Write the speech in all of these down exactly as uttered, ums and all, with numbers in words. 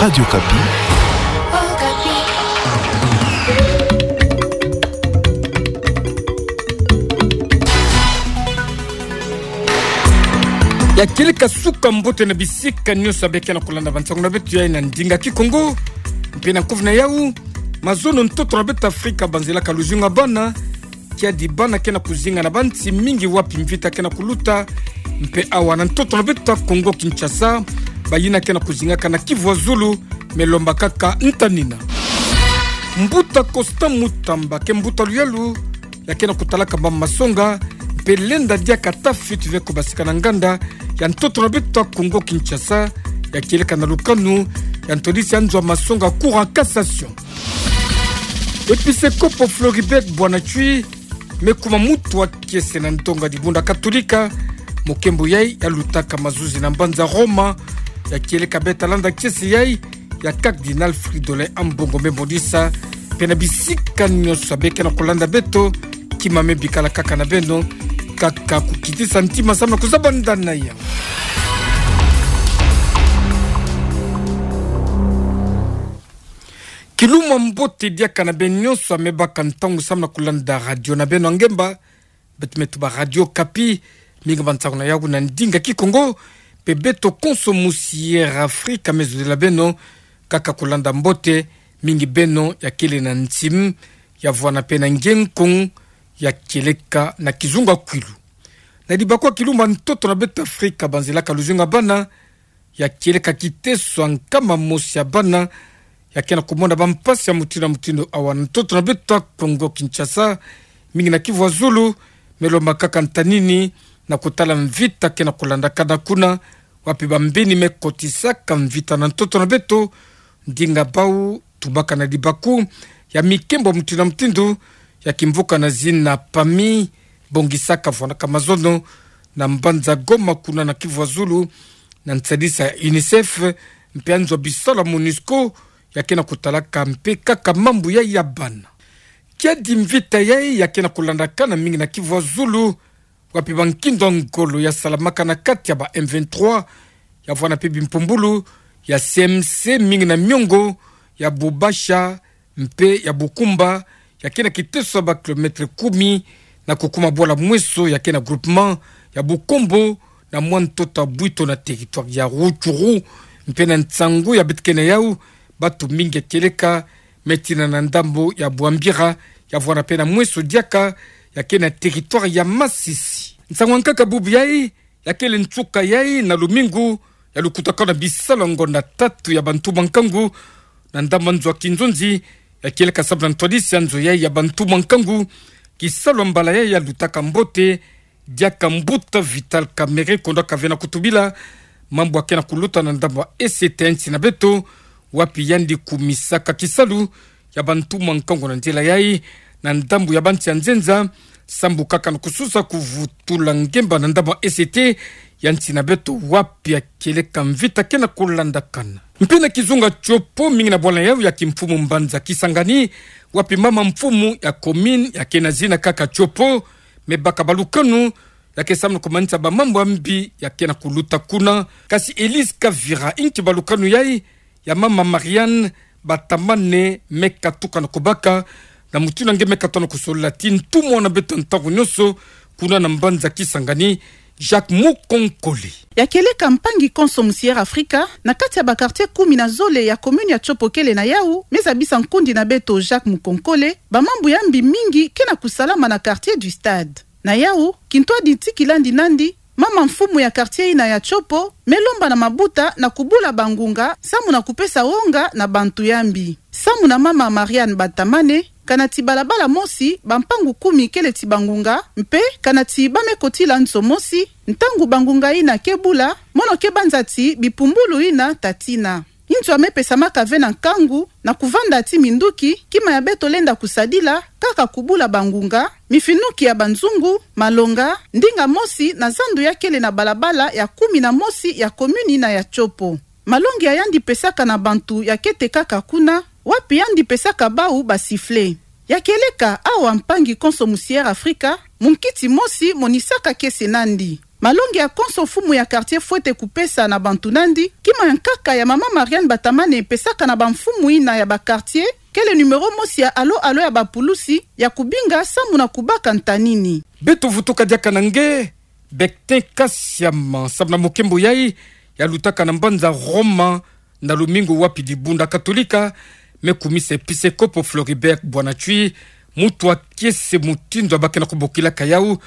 Radio Okapi. Ya kieleka suka mbote na bisika nyonso ya beke na kolanda bansango na beto ya na ndinga Kikongo. Mpe na nkufi na yau, mazono ntoto na beto Afrika banzelaka luzingu ya bana, kiadi bana ke na kuzinga na bansi mingi wapi mvita ke na kuluta, mpe awa na ntoto na beto Kongo Kinshasa, bayina ke na kuzingaka na Kivu ya Zulu, me lomba kaka ntanina. Mbuta Constant Mutamba ke mbuta luyalu, ya ke na kutalaka ba masonga, mpe lenda diaka ta fioti ve kubasika na nganda ya ntoto na beto Kongo Kinshasa, ya kieleka na lukanu ya ntwadisi ya nzo ya masonga Cour en cassation. Episekopo Floribert Bwana Tshwi me kuma muntu wa kiese na ndonga dibunda Katolika, mokembo yai ya lutaka mazuzi na mbanza Roma, ya kieleka beta landa kiese yai ya Cardinal Fridolin Ambongo me monisa, mpe na bisika nyonso ya beke na kolanda beto, kima me bikala kaka na beno, kaka kukitisa ntima samu na kuzaba ndana ya. Kilumbu mbote diaka na beno nyonso ya me baka ntangu samu na kolanda radio na beno ya ngemba, beto me tuba Radio Okapi, mingi bansango na yau na ndinga Kikongo, mpe beto konso musiere Afrika me zolila beno, kaka kolanda mbote, mingi beno ya kele na nsimu, ya vwanda mpe na nge nkong, ya kieleka na kizunga kwilu. Na dibakwa kilumbu ntoto na beto Afrika banzelaka luzingu ya bana, ya kieleka kiteso ya nkama mosi ya bana, ya ke na kumona bampasi ya mutindu na mutindu awa na ntoto na beto Kongo Kinshasa, mingi na Kivu ya Zulu, me lomba kaka ntanini, na kutala mvita ke na kulandakana kuna, wapi bambeni me kotisaka mvita na ntoto na beto, ndinga bau tubaka na dibaku ya mikembo mutindu na mutindu, ya kimvuka na zina PAMI, bongisaka vwandaka mazono na mbanza Goma kuna na Kivu ya Zulu, na nsadisa ya UNICEF, mpe ya nzo ya bisalu ya MONUSCO, ya ke na kutalaka mpe kaka mambu yai ya bana. Kiadi mvita yai ya ke na kulandakana mingi na Kivu ya Zulu, wapi bankindo ya ngolo ya salamaka na kati ya ba M vingt-trois, ya vwanda mpe bimpumbulu ya C M C mingi na miongo ya Bubasha, mpe ya Bukumba, ya ke na kiteso ya ba kilomètre kumi, na kukuma bwala mweso ya ke na groupement ya Bukombo, na mwa ntoto ya Bwito na territoire ya Rutshuru, mpe na nsangu ya beto ke na yau, batu mingi ya kieleka, me tina na ndambo ya Bwambira, ya vwanda mpe na mweso diaka, ya ke na territoire ya Masisi. Nsangu ya nkaka bubu yai, ya kele nsuka yai na lumingu ya lukutakanu na bisalu ya ngonda tatu ya bantu ba nkangu, na ndambu ya nzo ya kinzonzi, ya kieleka samu na ntwadisi ya nzo yai ya bantu ba nkangu, kisalu ya mbala yai ya lutaka mbote, diaka mbuta Vital Kamerhe kondwa kavena kutubila mambu ya ke na kuluta na ndambu ya E C T ya nsi na beto, wapi yandi kumisaka kisalu ya bantu ba nkangu na nzila yai, na ndambu ya bansi ya nzenza, sambu kaka na kususa kuvutula ngemba na ndambu ya E C T ya nsi na beto wapi ya kieleka mvita ke na kulandakana. Mpe na kizunga Tshopo, mingi na bwala yau ya kimfumu mbanza Kisangani, wapi mama mfumu ya commune ya ke na zina kaka Tshopo, me baka balukanu, ya ke samu na kumanisa bamambu ya mbi ya ke na kuluta kuna. Kasi Elise Kavira, inki balukanu yai ya mama Marianne Batamane me katuka na kubaka, na mutindu nge me katuka na kusolila ti ntumwa na beto ntangu nyonso, kuna na mbanza Kisangani, Jacques Mukonkole. Ya kieleka mpangi konso musiere Afrika, na kati ya ba quartier kumi na zole ya commune ya Tshopo kele na yau, me zabisa nkundi na beto Jacques Mukonkole, bamambu ya mbi mingi ke na kusalama na quartier du Stade. Na yau, kintwadi ti kilandi nandi, mama mfumu ya quartier yina ya Tshopo, me lomba na mabuta na kubula bangunga, samu na kupesa wonga na bantu ya mbi. Samu na mama Marianne Batamane, kana ti balabala mosi, bampangu kumi kele ti bangunga, mpe kana ti ba me kotila nso mosi, ntangu bangunga yina ke bula, mono ke banza ti bipumbulu yina ta tina. Nzo ya me pesamaka ve na nkangu, na kuvanda ti minduki, kima ya beto lenda kusadila, kaka kubula bangunga, mifinuki ya banzungu, malonga, ndinga mosi na zandu ya kele na balabala ya kumi na mosi ya commune yina ya Tshopo. Malongi ya yandi pesaka na bantu ya ke tekaka kuna, wapi yandi pesaka bau ba sifflet. Ya kieleka awa mpangi konso musiere Afrika, munkiti mosi monisaka kiese nandi. Malongi ya konso mfumu ya quartier fwete kupesa na bantu nandi, kima ya nkaka ya mama Marianne Batamane pesaka na bamfumu ina ya ba quartier, kele numéro mosi ya alo alo ya bapulusi ya kubinga samu na kubaka ntanini. Beto vutuka diaka na nge, Bectin Kasiama, samu na mukembo yai, yalutaka na mbanza Roma, na lumingu wapi dibundu ya Katolika me kumisa episekopo Floribert Bwana Tshwi, muntu wa kiese mutindu abakena kubokilaka yau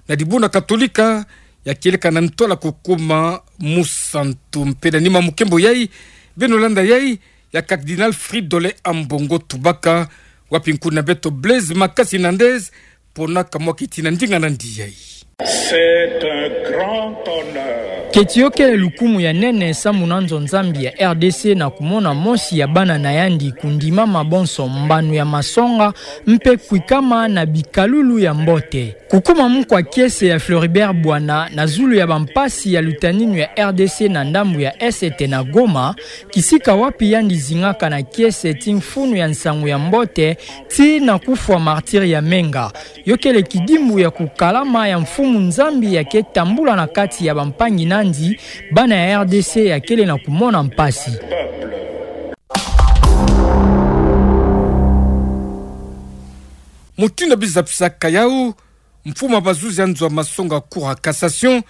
na dibundu ya Katolika, ya kieleka na ntwala kukuma musantu. Mpe na nima mukembo yai, beno landa yai ya Cardinal Fridolin Ambongo Tubaka, wapi nkuni na beto Blaise Makasi Nandez, ponaka mwa kiti na ndinga nandi yai. C'est un grand honneur. Keti yo kele lukumu ya nene samu na nzo Nzambi ya R D C na kumona mosi ya bana na yandi kundimama bonso mbanu ya masonga mpe kwikama na bikalulu ya mbote. Kukuma mukwa kiese ya Floribert Bwana na zulu ya bampasi ya lutaninu ya R D C na ndambu ya Est na Goma, kisika wapi yandi zingaka na kiese ti mfunu ya nsangu ya mbote, tii na kufwa martyr ya Menga. Yo kele kidimbu ya kukalama ya Mfumu Nzambi ya ke tambula na kati ya bampangi nandi, bana ya R D C ya kele na kumona mpasi. Mutindu bizapisaka yau, mfumu ya bazuzi ya nzo ya masonga Cour ya Cassation,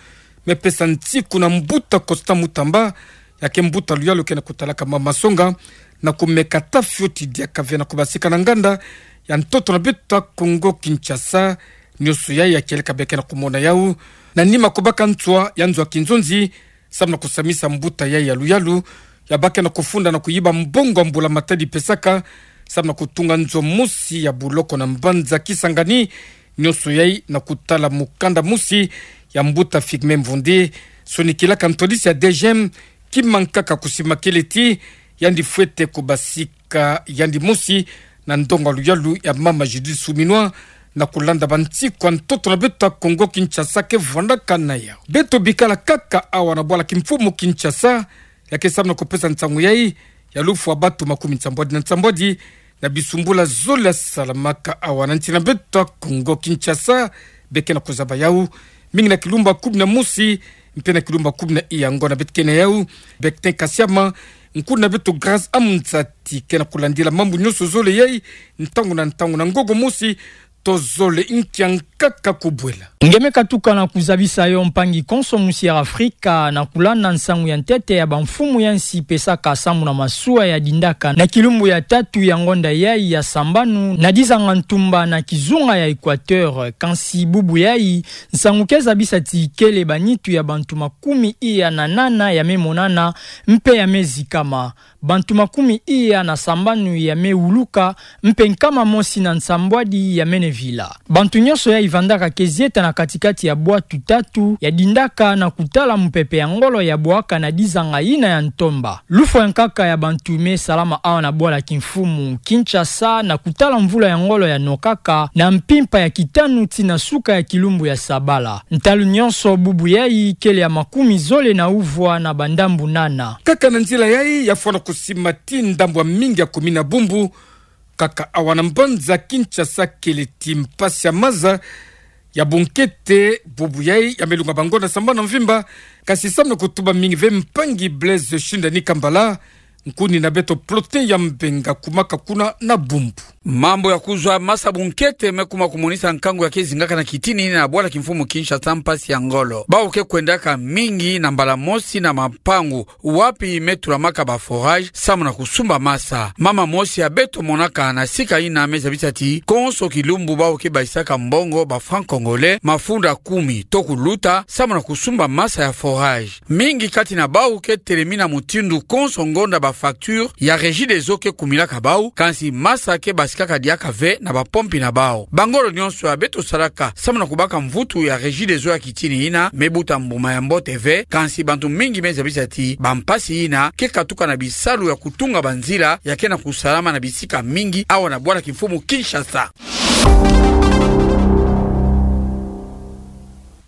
me pesa nsiku na mbuta Constant Mutamba, ya ke mbuta luyalu ke na kutalaka mama masonga, na kumeka ta fioti diaka ve na kubasika na nganda ya ntoto na beto ya Kongo Kinshasa, nionso yai ya kieleka be ke na kumona yau, na nima kubaka ntswa ya nzo ya kinzonzi, samu na kusamisa mbuta yai ya luyalu, ya bake na kufunda na kuyiba mbongo ya mbula matadi pesaka, samu na kutunga nzo mosi ya buloko na mbanza Kisangani, nionso yai na kutala mukanda mosi ya mbuta Figme Mvundi, sonikilaka ntwadisi ya D G M, kima nkaka kusimakele ti yandi fwete kubasika yandi mosi na ndonga luyalu ya mama Judith Suminwa, na kulanda bansiku ya ntoto na beto ya Kongo Kinshasa ke vwandaka na yau. Beto bikala kaka awa na bwala kimfumu Kinshasa, ya ke samu na kupesa nsangu yai, ya lufwa batu makumi nsambwadi na nsambwadi, na bisumbula zole ya salamaka awa na nsi na beto ya Kongo Kinshasa, be ke na kuzaba yau, mingi na kilumbu ya kumi na mosi, mpe na kilumbu ya kumi na iya. Ngonda beto ke na yau, Bectin Kasiama, nkuni na beto Grâce Amzati ke na kulandila mambu nionso zole yai, ntangu na ntangu na ngogo mosi, to zole. Nkia nkaka kubwela. Nge me katuka na kuzabisa yo mpangi konso musi ya Afrika na kulanda nsangu ya ntete ya bamfumu ya nsi pesaka samu na masuwa ya dindaka na kilumbu ya tatu ya ngonda yai ya sambanu na dizanga ntumba na kizunga ya Equateur. Kansi bubu yai, nsangu ke zabisa ti kele banitu ya bantu makumi iya na nana ya me monana mpe ya me zikama. Bantu makumi iya na sambanu ya me wuluka, mpe nkama mosi na nsambwadi ya mene vila. Bantu nionso yai vandaka ke zieta na kati-kati ya bwatu tatu ya dindaka na kutala mupepe ya ngolo ya bwaka na dizanga yina ya ntomba. Lufwa ya nkaka ya bantu me salama awa na bwala kimfumu Kinshasa na kutala mvula ya ngolo ya nokaka na mpimpa ya kitanu tii na suka ya kilumbu ya sabala. Ntalu nionso bubu yai kele ya makumi zole na uvwa na bandambu nana. Kaka na nzila yai ya fwana kusima ti ndambu ya mingi ya kumina bumbu, kaka awa na mbanza Kinshasa kele ti mpasi ya maza ya bunkete, bubu yai ya me lunga bangonda sambanu na mvimba, kansi samu na kutuba mingi ve mpangi Blaise Shindani Kambala, nkuni na beto Plotin ya Mbenga kumaka kuna na bumbu. Mambu ya kuzwa masa bunkete me kuma kumonisa nkangu ya ke zingaka na kitini yina na bwala kimfumu Kinshasa mpasi ya ngolo. Bawu ke kwendaka mingi na mbala mosi na mampangu wapi me tulamaka ba forage samu na kusumba masa. Mama mosi ya beto monaka na sika yina me zabisa ti konso kilumbu bawu ke bayisaka mbongo ba francs congolais mafunda kumi to kuluta samu na kusumba masa ya forage. Mingi kati na bawu ke telemina mutindu konso ngonda ba facture ya Regideso ke kumilaka bawu, kansi masa ke basikaka diaka ve na bapompi na bawu. Bangolo nionso ya beto salaka samu na kubaka mvutu ya Regideso ya kitini yina me buta mbuma ya mbote ve, kansi bantu mingi me zabisa ti bampasi yina ke katuka na bisalu ya kutunga banzila ya ke na kusalama na bisika mingi awa na bwala kimfumu Kinshasa.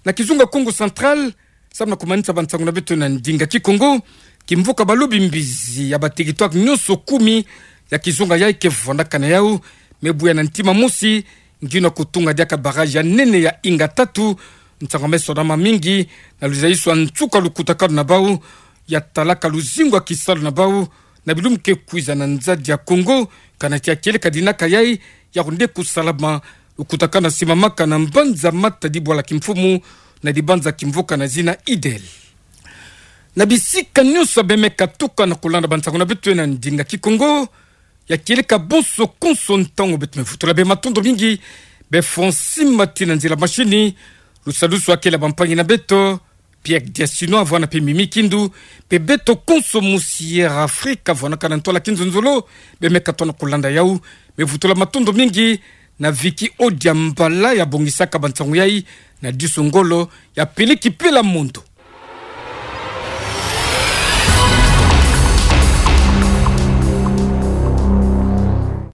Na kizunga Kongo Central, samu na kumanisa bansangu na beto na ndinga Kikongo, kimvuka balobi mbizi ya ba territoire nionso kumi ya kizunga yai ke vwandaka na yawu, me buya na ntima mosi, ngiuna kutunga diaka barrage ya nene ya Inga tatu, Nsangu me sona mamingi na luzaiso a nsuka lukutakano na bau, ya talaka luzingu a kisalu na bau, na bilumbu ke kwiza na nzadi ya Kongo, kana tia kieleka dinaka yai, ya kunde kusalama, lukutakano na simamaka na mbanza matadi bwala kimfumu, na dibanza kimvuka na zina Idel. Na bisika nyonso bemeka tuka na kulanda bansangu na beto na ndinga Kikongo, ya kieleka bonso konso ntangu beto me vutula bê matondo mingi, bê Francine Mati na nzila mashini, lusadusu akela bampangi na beto, Pierre Diasino avwanga pe Mimi Kindu, pe beto konso mu Sierra Africa avwanga kana ntwala kinzonzolo, bemeka tona kulanda yau, me vutula matondo mingi, na Vicky Odia Mbala ya bongisaka bansangu yai, na diso ngolo, ya peleki pela mondo.